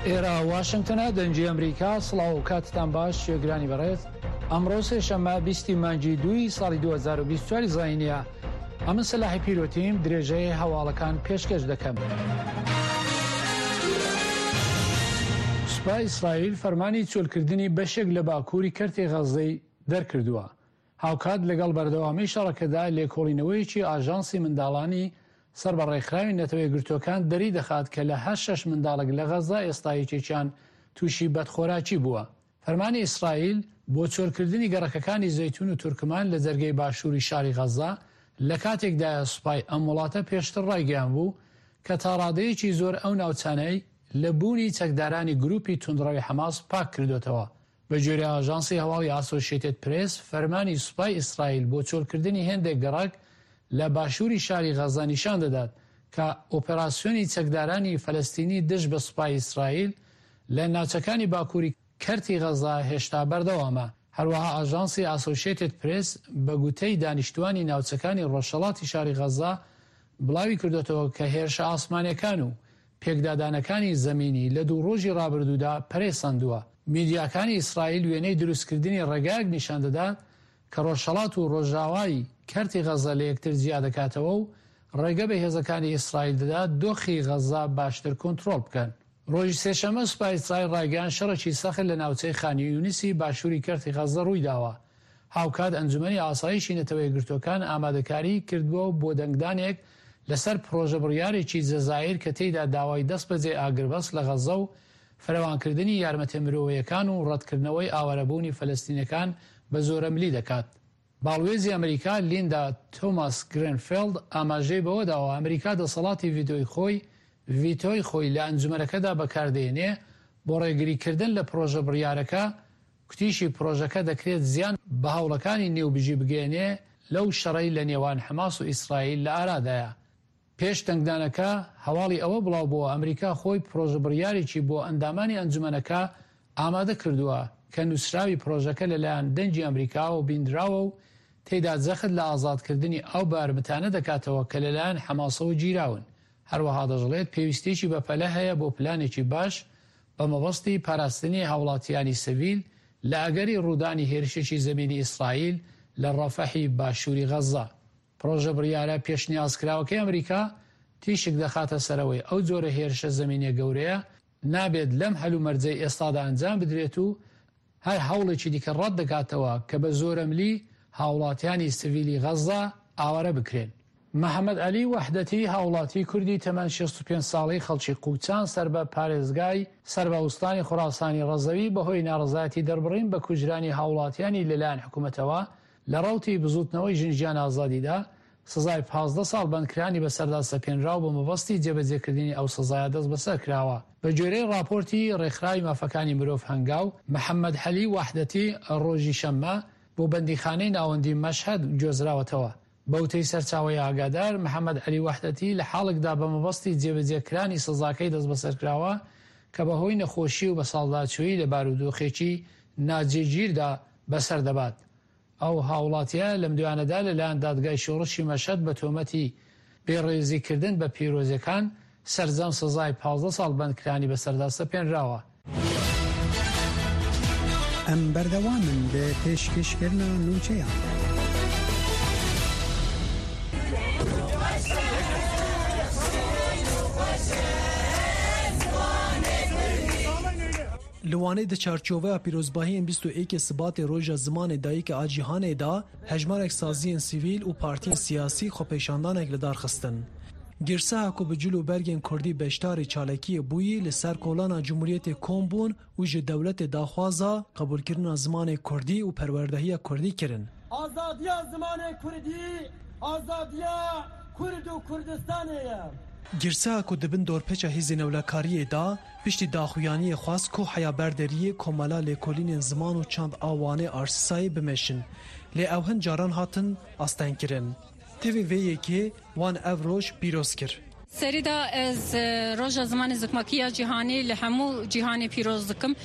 ئێرە واشنگتنە دەنگی ئەمریکا سڵاو و کاتتان باش گوێگرانی بەڕێز ئەمڕۆ سێشەممە بیستی مانگی دووی ساڵی 2024 زاینیە ئەمن سەلاحی پیرۆتیم درێژەی هەواڵەکان پێشکەش دەکەم. سوپای ئیسرائیل فەرمانی چۆلکردنی بەشێک لە باکووری کەرتی غەززەی دەرکردووە. هاوکات لەگەڵ بەردەوامیی شەڕەکەدا لێکۆڵینەوەیەکی ئاژانسی منداڵانی سەر بە ڕێکخراوی نەتەوە یەکگرتووەکان دەریدەخات کە لە هەر شەش منداڵێک لە غەززە ئێستا یەکێکیان تووشی بەدخۆراکی بووە. فەرمانی ئیسرائیل بۆ چۆلکردنی گەڕەکەکانی زەیتون و تورکمان لە جەرگەی باشووری شاری غەززە لە کاتێکدایە سوپای ئەم وڵاتە پێشتر ڕایگەیانبوو کە تاڕادەیەکی زۆر ئەو ناوچانەی لە بوونی چەکدارانی گرووپی توندڕەوی حەماس پاک کردۆتەوە. بەگوێرەی ئاژانسی هەواڵی ئاسۆشێتێد پرێس، فەرمانی سوپای ئیسرائیل بۆ چۆلکردنی هێندێک گەڕەک لە باشووری شاری غەززە نیشان دەدات کە ئۆپەراسیۆنی چەکدارانی فەلەستینی دژ بە سوپای ئیسرائیل لە ناوچەکانی باکووری کەرتی غەززە هێشتا بەردەوامە. هەروەها ئاژانسی ئاسۆشێتێد پرێس بە گوتەی دانیشتووانی ناوچەکانی ڕۆژهەڵاتی شاری غەززە بڵاوی کردۆتەوە کە هێرشە ئاسمانییەکان و پێکدادانەکانی زەمینی لە دوو ڕۆژی ڕابردوودا پەرەی سەندووە. میدیاکانی ئیسرائیل وێنەی دروستکردنی ڕێگایەک نیشان دەدات کە ڕۆژهەڵات و ڕۆژاوای کەرتی غەززە لە یەکتر جیا دەکاتەوە و ڕێگە بە هێزەکانی ئیسرائیل دەدات دۆخی غەززە باشتر کۆنترۆڵ بکەن. ڕۆژی سێشەممە سوپای ئیسرائیل ڕایگەیاند شەڕێکی سەخت لە ناوچەی خان یونسی باشووری کەرتی غەززە ڕوویداوە، هاوکات ئەنجومەنی ئاسایشی نەتەوە یەکگرتووەکان ئامادەکاریی کردووە بۆ دەنگدانێک لەسەر پڕۆژە بڕیارێکی جەزائیر کە تێیدا داوای دەستبەجێ ئاگربەست لە غەززە و فراوانکردنی یارمەتیە مرۆیەکان و ڕەتکردنەوەی ئاوارەبوونی فەلەستینەکان بە زۆرەملی دەکات. باڵوێزی ئەمریکا لیندا تۆماس گرێنفێڵد ئاماژەی بەوەداوە ئەمریکا دەسەڵاتی ڤیتۆی خۆی ڤیتۆی خۆی لە ئەنجومەنەکەدا بەکاردێنێ بۆ ڕێگریکردن لە پڕۆژە بڕیارەکە، کوتیشی پڕۆژەکە دەکرێت زیان بە هەوڵەکانی نێوبژی بگەیەنێ لەو شەڕەی لە نێوان حەماس و ئیسرائیل لە ئارادایە. پێش دەنگدانەکە هەواڵی ئەوە بڵاوبۆوە ئەمریکا خۆی پڕۆژە بڕیارێکی بۆ ئەندامانی ئەنجومەنەکە ئامادە کردووە کە نووسراوی پڕۆژەکە لەلایەن دەنگی ئەمریکاوە بیندراوە و تێیدا جەخت لە ئازادکردنی ئەو بارمتانە دەکاتەوە کە لەلایەن حەماسەوە گیراون. هەروەها دەشڵێت پێویستییەکی بەپەلە هەیە بۆ پلانێکی باش بە مەبەستی پاراستنی هاوڵاتیانی سڤیل لە ئەگەری ڕوودانی هێرشێکی زەمینی ئیسرائیل لە ڕەفەحی باشووری غەززە. پڕۆژە بڕیارە پێشنیازکراوەکەی ئەمریکا تیشک دەخاتە سەرئەوەی ئەو جۆرە هێرشە زەمینیە گەورەیە نابێت لەم هەلومەرجەی ئێستادا ئەنجام بدرێت و هەر هەوڵێکی دیکە ڕەت دەکاتەوە کە بە زۆرەملی هاوڵاتیانی سڤیلی غەززە ئاوارە بکرێن. محەمەد عەلی وەحدەتی هاوڵاتی کوردی تەمەن 65 ساڵەی خەڵکی قوچان سەر بە پارێزگای سەر بە ئوستانی خوراسانی ڕەزەوی بەهۆی ناڕەزایەتی دەربڕین بە کوژرانی هاوڵاتیانی لەلایەن حکومەتەوە لە ڕەوتی بزووتنەوەی ژن ژیان ئازادیدا سزای 15 ساڵ بەندکرانی بەسەردا سەپێنرا و بە مەبەستی جێبەجێکردنی ئەو سزایە دەستبەسەر کراوە. بە گوێرەی ڕاپۆرتی ڕێکخراوی مافەکانی مرۆڤ هەنگاو، محەممەد عەلی وەحدەتی ڕۆژی شەممە بۆ بەندیخانەی ناوەندی مەشهەد گوێزراوەتەوە. بە وتەی سەرچاوەی ئاگادار، محەممەد عەلی وەحدەتی لە حاڵێکدا بە مەبەستی جێبەجێ کرانی سزاکەی دەستبەسەر کراوە کە بە هۆی نەخۆشی و بەساڵداچوویی لە بارودۆخێکی ناجێگیردا بەسەر دەبات. ئەو هاوڵاتییە لەمدوایانەدا لەلایەن دادگای شۆڕشی مەشهەد بە تۆمەتی بێڕێزیکردن بە پیرۆزیەکان سەرجەم سزای 15 ساڵ بەندکرانی بەسەردا سەپێنراوە. ئەم بەردەوامن لە پێشکەشکردنا نوچەیان. Li Wanê di çarçoveya pîrozbahiyên 21 Sibatê Roja Zimanê Dayîka a Cîhanê de hejmarek saziyên sivîl û partiyên siyasî xwepêşandanek li dar xistin. Girseha ku bi cil û bergên Kurdî beşdarî çalakiyê bûyî li ser kolana Cumhuriyetê kom bûn û ji dewletê daxwaza qebûlkirina zimanê Kurdî û perwerdehiya Kurdî kirin. Azadiya zimanê Kurdî azadiya Kurd û Kurdistanê ye. Girseha ku di bin dorpêça hêzên ewlekariyê de Piştî daxuyaniyê xwest ku heya ber deriyê Komela Lêkolînên Ziman û Çand a Wanê Arsisayê bimeşin. Lê ew hin caran hatin astengkirin. Tevî vê yekê wan ev roj pîroz kir. Serî de ez Roja Zimanê Zikmakî ya Cîhanî li hemû cîhanê pîroz dikim.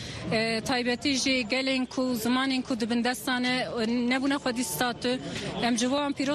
Taybetî jî gelên ku zimanên ku di bin destan e nebûne xwedî statû em ji bo wan pîroz.